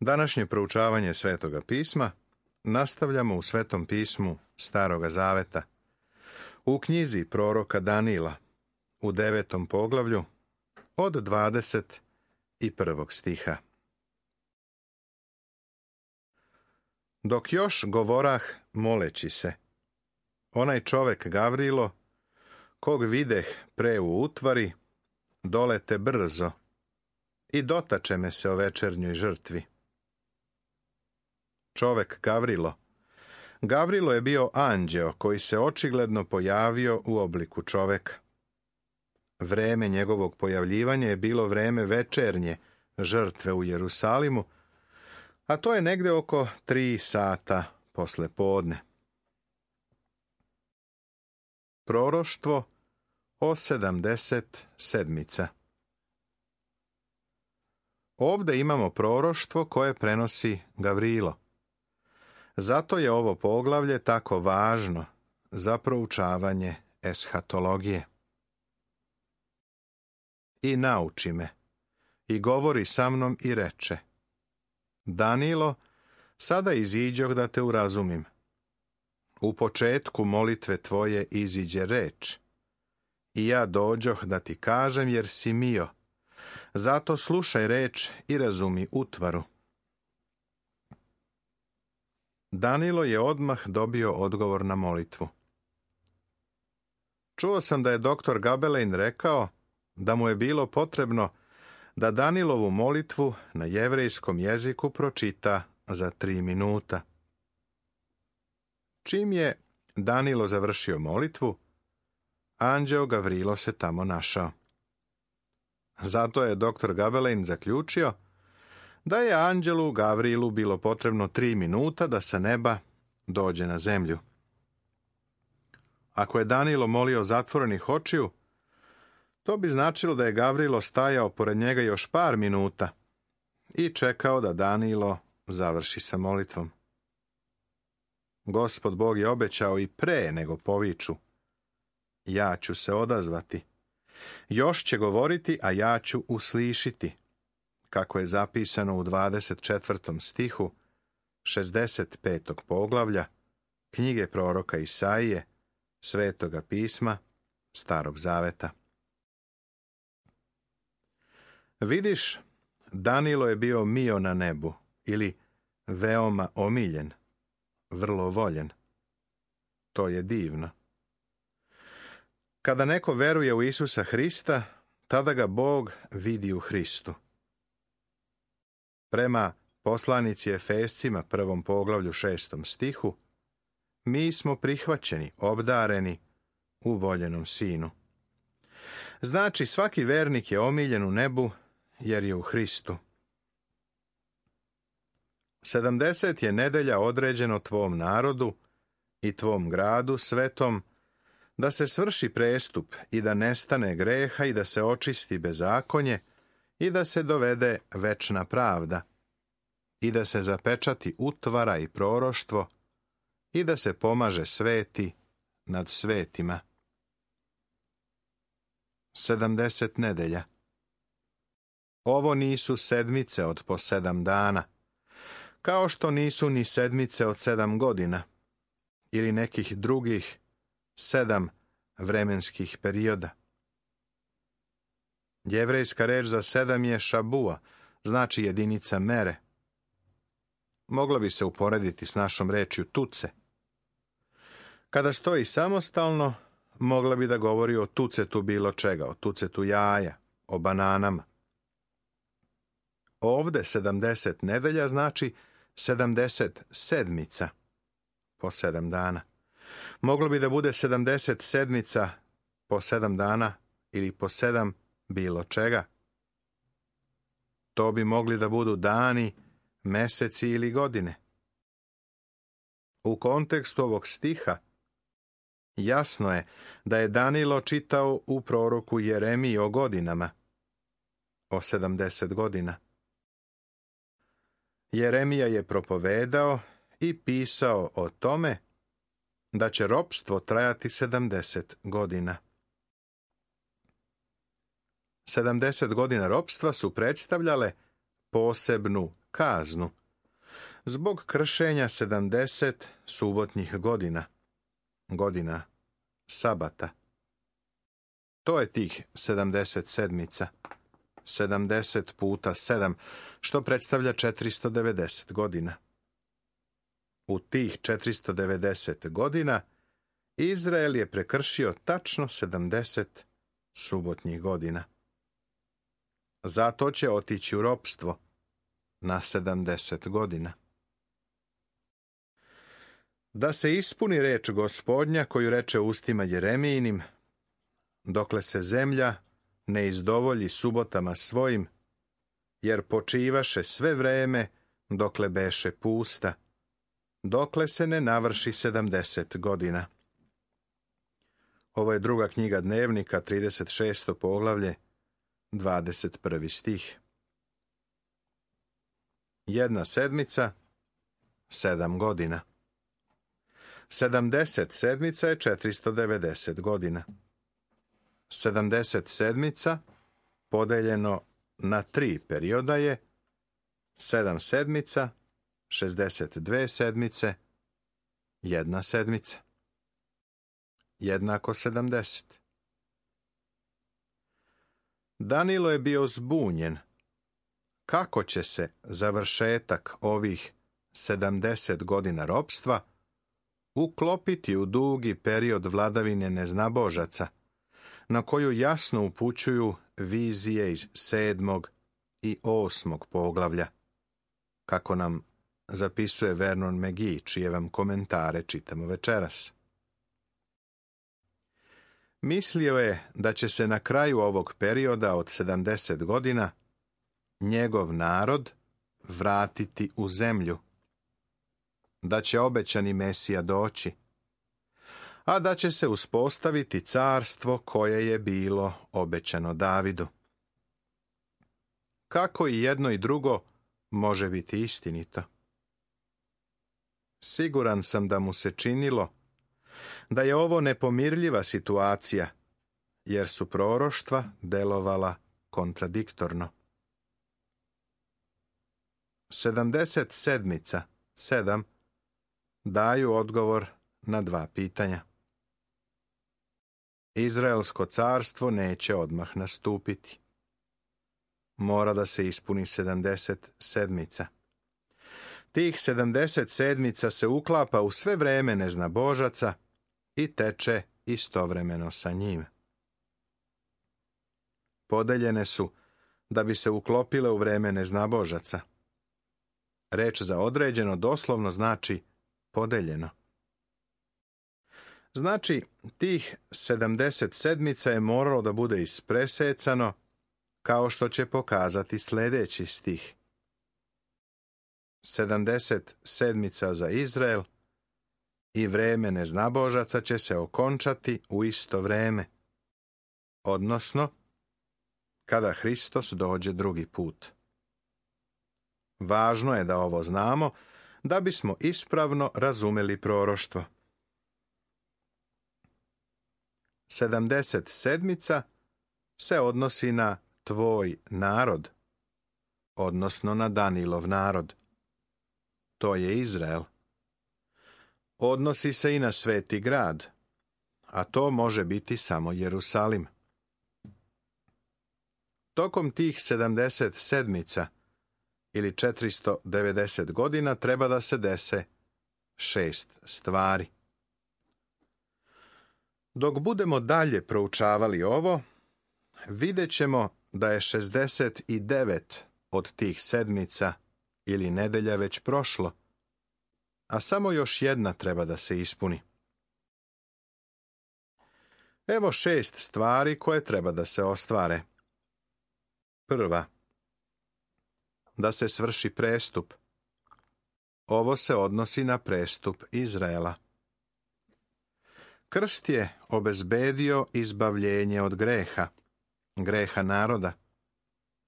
Današnje proučavanje Svetoga pisma nastavljamo u Svetom pismu Staroga zaveta, u knjizi proroka Danila, u 9. poglavlju, od 21. stiha. Dok još govorah moleći se, onaj čovek Gavrilo, kog videh pre u utvari, dolete brzo i dotače me se o večernjoj žrtvi. Čovek Gavrilo je bio anđeo koji se očigledno pojavio u obliku čoveka. Vreme njegovog pojavljivanja je bilo vreme večernje žrtve u Jerusalimu, a to je negde oko 3 sata posle podne. Proroštvo o 70 sedmica. Ovde imamo proroštvo koje prenosi Gavrilo. Zato je ovo poglavlje tako važno za proučavanje eshatologije. I nauči me, i govori sa mnom i reče: Danilo, sada iziđoh da te urazumim. U početku molitve tvoje iziđe reč, i ja dođoh da ti kažem jer si mio. Zato slušaj reč i razumi utvaru. Danilo je odmah dobio odgovor na molitvu. Čuo sam da je doktor Gabelein rekao da mu je bilo potrebno da Danilovu molitvu na jevrejskom jeziku pročita za 3 minuta. Čim je Danilo završio molitvu, anđeo Gavrilo se tamo našao. Zato je doktor Gabelein zaključio da je anđelu Gavrilu bilo potrebno 3 minuta da sa neba dođe na zemlju. Ako je Danilo molio zatvorenih očiju, to bi značilo da je Gavrilo stajao pored njega još par minuta i čekao da Danilo završi sa molitvom. Gospod Bog je obećao i pre nego poviču: ja ću se odazvati. Još će govoriti, a ja ću uslišiti, kako je zapisano u 24. stihu 65. poglavlja knjige proroka Isaije, Svetoga pisma, Starog zaveta. Vidiš, Danilo je bio mio na nebu, ili veoma omiljen, vrlo voljen. To je divno. Kada neko veruje u Isusa Hrista, tada ga Bog vidi u Hristu. Prema poslanici Efescima 1. poglavlju 6. stihu, mi smo prihvaćeni, obdareni u voljenom Sinu. Znači, svaki vernik je omiljen u nebu jer je u Hristu. 70 je nedelja određeno tvom narodu i tvom gradu svetom, da se svrši prestup i da nestane greha i da se očisti bezakonje i da se dovede večna pravda i da se zapečati utvara i proroštvo i da se pomaže sveti nad svetima. 70 nedelja. Ovo nisu sedmice od po 7 dana, kao što nisu ni sedmice od 7 godina ili nekih drugih 7 vremenskih perioda. Jevrejska reč za 7 je šabua, znači jedinica mere. Mogla bi se uporediti s našom rečju tuce. Kada stoji samostalno, mogla bi da govori o tucetu bilo čega, o tucetu jaja, o bananama. Ovde 70 nedelja znači 70 sedmica po 7 dana. Moglo bi da bude 70 sedmica po 7 dana ili po 7 bilo čega. To bi mogli da budu dani, meseci ili godine. U kontekstu ovog stiha jasno je da je Danilo čitao u proroku Jeremiji o godinama, o 70 godina. Jeremija je propovedao i pisao o tome da će ropstvo trajati 70 godina. 70 godina ropstva su predstavljale posebnu kaznu zbog kršenja 70 subotnjih godina sabata. To je tih 70 sedmica, 70 puta 7, što predstavlja 490 godina. U tih 490 godina Izrael je prekršio tačno 70 subotnjih godina. Zato će otići u ropstvo na 70 godina. Da se ispuni reč Gospodnja koju reče ustima Jeremijinim, dokle se zemlja ne izdovolji subotama svojim, jer počivaše sve vreme dokle beše pusta, dokle se ne navrši 70 godina. Ovo je druga knjiga Dnevnika, 36. poglavlje, 21. stih. 1 sedmica, 7 godina. 70 sedmica je 490 godina. 70 sedmica podeljeno na 3 perioda je 7 sedmica, 62 sedmice, 1 sedmica. Jednako 70. Danilo je bio zbunjen. Kako će se završetak ovih 70 godina ropstva uklopiti u dugi period vladavine neznabožaca, na koju jasno upućuju vizije iz 7. i 8. poglavlja, kako nam zapisuje Vernon McGee, čije vam komentare čitamo večeras. Mislio je da će se na kraju ovog perioda od 70 godina njegov narod vratiti u zemlju, da će obećani Mesija doći, a da će se uspostaviti carstvo koje je bilo obećano Davidu. Kako i jedno i drugo može biti istinito? Siguran sam da mu se činilo da je ovo nepomirljiva situacija, jer su proroštva delovala kontradiktorno. 70 sedmica, 7, daju odgovor na 2 pitanja. Izraelsko carstvo neće odmah nastupiti. Mora da se ispuni 70 sedmica. Tih 70 sedmica se uklapa u sve vreme neznabožaca i teče istovremeno sa njim. Podeljene su da bi se uklopile u vreme neznabožaca. Reč za određeno doslovno znači podeljeno. Znači, tih 70 sedmica je moralo da bude ispresecano, kao što će pokazati sljedeći stih. 70 sedmica za Izrael i vreme neznabožaca će se okončati u isto vreme, odnosno kada Hristos dođe drugi put. Važno je da ovo znamo, da bismo ispravno razumeli proroštvo. 70 sedmica se odnosi na tvoj narod, odnosno na Danilov narod. To je Izrael. Odnosi se i na sveti grad, a to može biti samo Jerusalim. Tokom tih 70 sedmica ili 490 godina treba da se dese 6 stvari. Dok budemo dalje proučavali ovo, vidjet ćemo da je 69 od tih sedmica ili nedelja već prošlo, a samo još jedna treba da se ispuni. Evo 6 stvari koje treba da se ostvare. Prva, da se svrši prestup. Ovo se odnosi na prestup Izraela. Krst je obezbedio izbavljenje od greha naroda,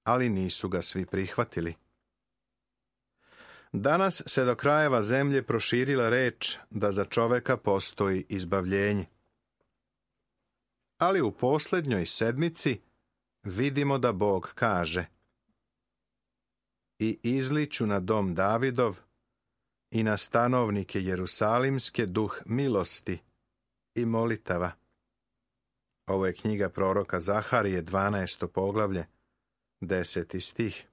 ali nisu ga svi prihvatili. Danas se do krajeva zemlje proširila reč da za čoveka postoji izbavljenje. Ali u posljednjoj sedmici vidimo da Bog kaže: i izliću na dom Davidov i na stanovnike Jerusalimske duh milosti i molitava. Ovo je knjiga proroka Zaharije, 12. poglavlje, 10. stih.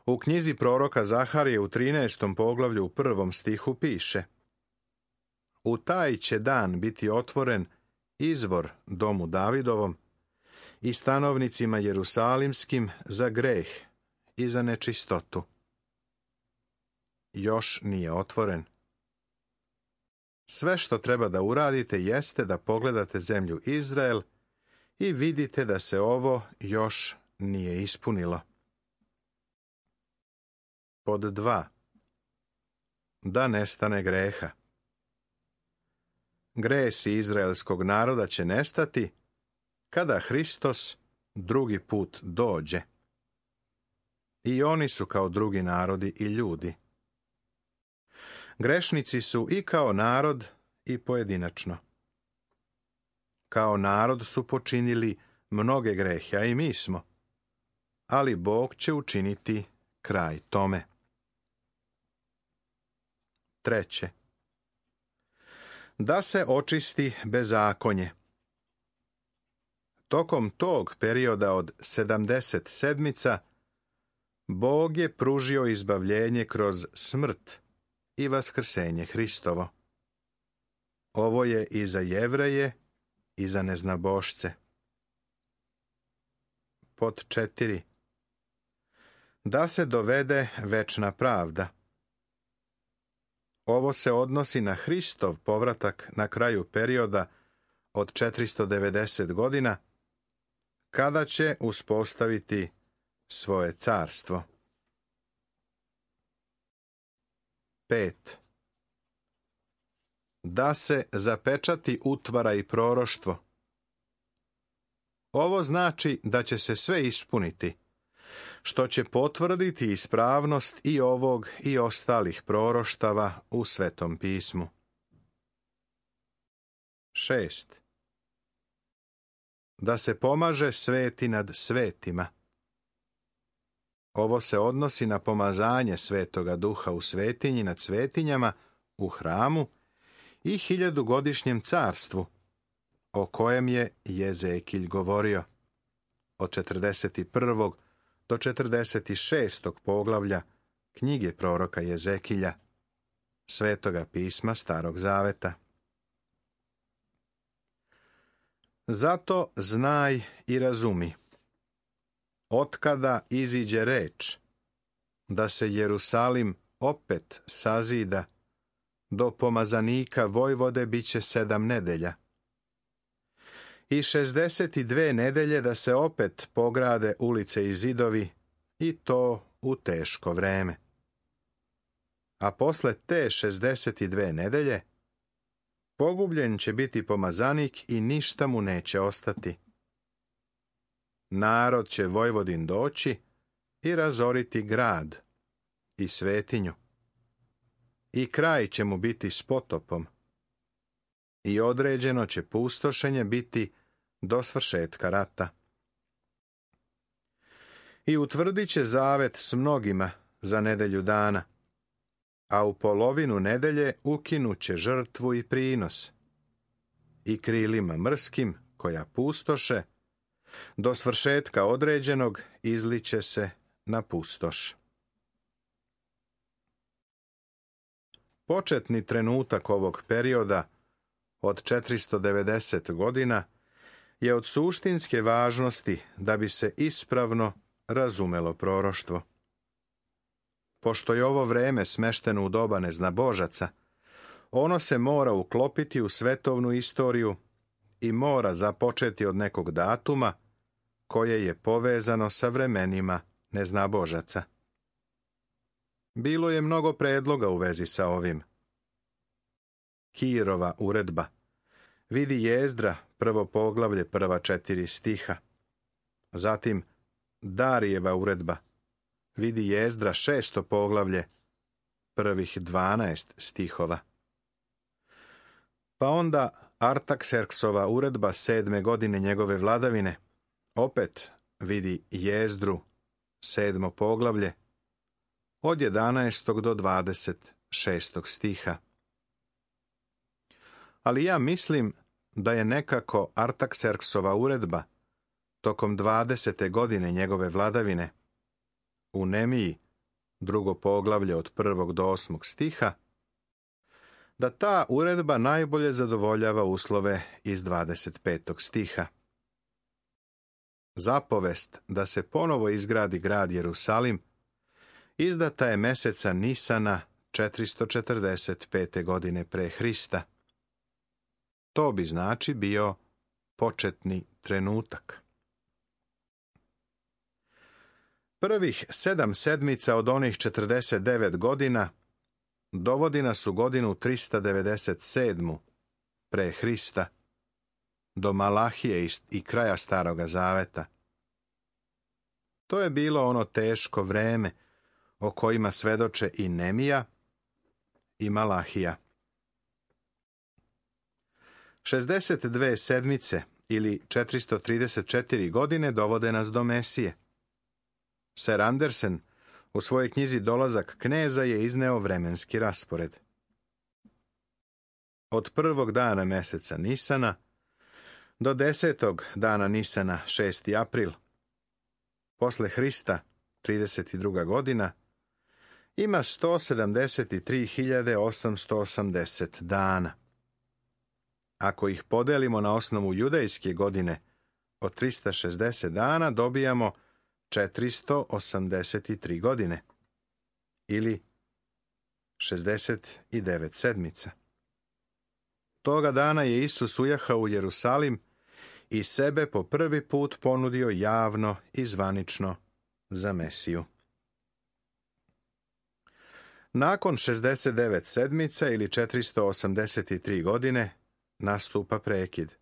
U knjizi proroka Zaharije u 13. poglavlju u 1. stihu piše: U taj će dan biti otvoren izvor domu Davidovom i stanovnicima Jerusalimskim za greh i za nečistotu. Još nije otvoren. Sve što treba da uradite jeste da pogledate zemlju Izrael i vidite da se ovo još nije ispunilo. Pod 2. Da nestane greha. Gresi izraelskog naroda će nestati kada Hristos drugi put dođe. I oni su kao drugi narodi i ljudi. Grešnici su i kao narod i pojedinačno. Kao narod su počinili mnoge grehe, a i mi smo. Ali Bog će učiniti kraj tome. 3. Da se očisti bezakonje. Tokom tog perioda od 70 sedmica, Bog je pružio izbavljenje kroz smrt i vaskrsenje Hristovo. Ovo je i za Jevreje i za neznabošce. Pod 4. Da se dovede večna pravda. Ovo se odnosi na Hristov povratak na kraju perioda od 490 godina, kada će uspostaviti svoje carstvo. 5. Da se zapečati utvara i proroštvo. Ovo znači da će se sve ispuniti, što će potvrditi ispravnost i ovog i ostalih proroštava u Svetom pismu. 6. Da se pomaže sveti nad svetima. Ovo se odnosi na pomazanje Svetoga Duha u svetinji nad svetinjama, u hramu i 1000-godišnjem carstvu, o kojem je Jezekilj govorio, od 41. do 46. poglavlja knjige proroka Jezekilja, Svetoga pisma Starog Zaveta. Zato znaj i razumi, otkada iziđe reč, da se Jerusalim opet sazida, do pomazanika Vojvode biće 7 nedelja. I 62 nedelje da se opet pograde ulice i zidovi, i to u teško vreme. A posle te 62 nedelje, pogubljen će biti pomazanik i ništa mu neće ostati. Narod će Vojvodin doći i razoriti grad i svetinju. I kraj će mu biti s potopom. I određeno će pustošenje biti do svršetka rata. I utvrdit će zavet s mnogima za nedelju dana, a u polovinu nedelje ukinut će žrtvu i prinos. I krilima mrskim, koja pustoše, do svršetka određenog izliće se na pustoš. Početni trenutak ovog perioda od 490 godina je od suštinske važnosti da bi se ispravno razumelo proroštvo. Pošto je ovo vreme smešteno u doba neznabožaca, ono se mora uklopiti u svetovnu istoriju i mora započeti od nekog datuma koje je povezano sa vremenima neznabožaca. Bilo je mnogo predloga u vezi sa ovim. Kirova uredba. Vidi Jezdra, 1. poglavlje, prva 4 stiha. Zatim Darijeva uredba. Vidi Jezdra, 6. poglavlje, prvih 12 stihova. Pa onda Artakserksova uredba 7. godine njegove vladavine. Opet vidi Jezdru, 7. poglavlje, od 11. do 26. stiha. Ali ja mislim da je nekako Artakserksova uredba tokom 20. godine njegove vladavine u Nemiji, 2. poglavlje od 1. do 8. stiha, da ta uredba najbolje zadovoljava uslove iz 25. stiha. Zapovest da se ponovo izgradi grad Jerusalim izdata je meseca Nisana 445. godine pre Hrista. To bi znači bio početni trenutak. Prvih 7 sedmica od onih 49 godina dovodi nas u godinu 397. pre Hrista, do Malahije i kraja Staroga Zaveta. To je bilo ono teško vreme o kojima svedoče i Nemija i Malahija. 62 sedmice ili 434 godine dovode nas do Mesije. Sir Andersen u svojoj knjizi Dolazak kneza je izneo vremenski raspored. Od 1. dana meseca Nisana do 10. dana Nisana, 6. april, posle Hrista, 32. godina, ima 173.880 dana. Ako ih podelimo na osnovu judejske godine od 360 dana, dobijamo 483 godine, ili 69 sedmica. Toga dana je Isus ujahao u Jerusalim i sebe po prvi put ponudio javno i zvanično za Mesiju. Nakon 69 sedmica ili 483 godine nastupa prekid.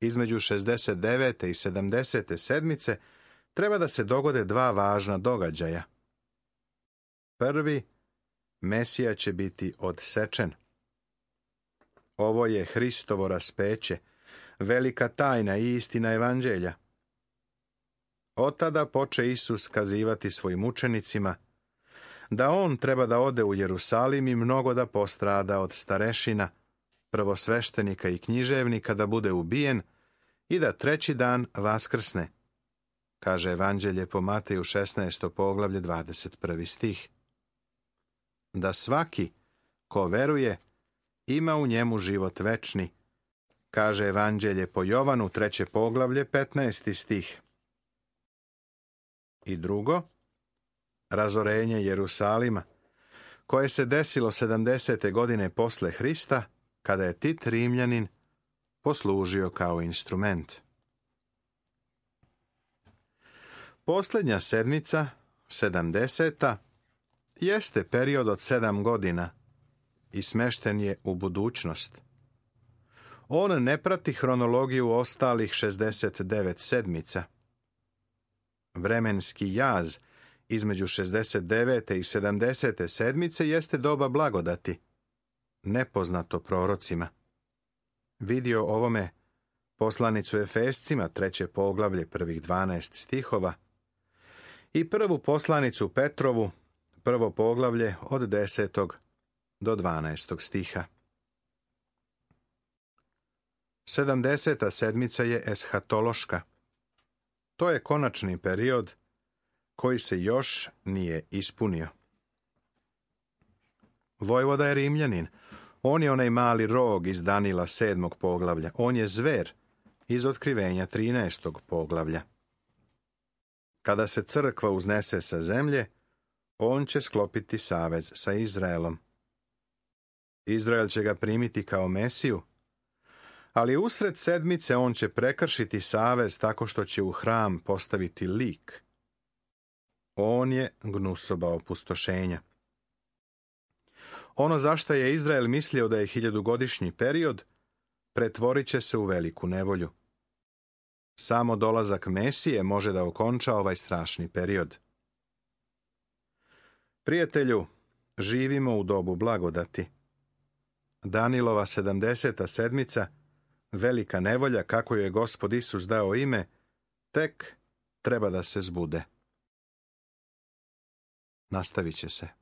Između 69. i 70. sedmice treba da se dogode 2 važna događaja. Prvi, Mesija će biti odsečen. Ovo je Hristovo raspeće, velika tajna i istina evanđelja. Od tada poče Isus kazivati svojim učenicima da on treba da ode u Jerusalim i mnogo da postrada od starešina, prvosveštenika i književnika, da bude ubijen i da 3. dan vaskrsne, kaže evanđelje po Mateju 16. poglavlje 21. stih. Da svaki ko veruje ima u njemu život večni, kaže evanđelje po Jovanu 3. poglavlje 15. stih. I drugo, razorenje Jerusalima, koje se desilo 70. godine posle Hrista, kada je Tit Rimljanin poslužio kao instrument. Posljednja sedmica, 70. jeste period od 7 godina i smešten je u budućnost. On ne prati hronologiju ostalih 69 sedmica. Vremenski jaz između 69. i 70. sedmice jeste doba blagodati, nepoznato prorocima. Vidio ovome poslanicu Efescima, 3. poglavlje, prvih 12 stihova, i prvu poslanicu Petrovu, 1. poglavlje od 10. do 12. stiha. 70. sedmica je eshatološka. To je konačni period koji se još nije ispunio. Vojvoda je Rimljanin. On je onaj mali rog iz Danila 7. poglavlja. On je zver iz Otkrivenja 13. poglavlja. Kada se crkva uznese sa zemlje, on će sklopiti savez sa Izraelom. Izrael će ga primiti kao Mesiju, ali usred sedmice on će prekršiti savez tako što će u hram postaviti lik. On je gnusoba opustošenja. Ono zašto je Izrael mislio da je 1000-godišnji period, pretvorit će se u veliku nevolju. Samo dolazak Mesije može da okonča ovaj strašni period. Prijatelju, živimo u dobu blagodati. Danilova 70. sedmica, velika nevolja, kako joj je Gospod Isus dao ime, tek treba da se zbude. nastavit će se.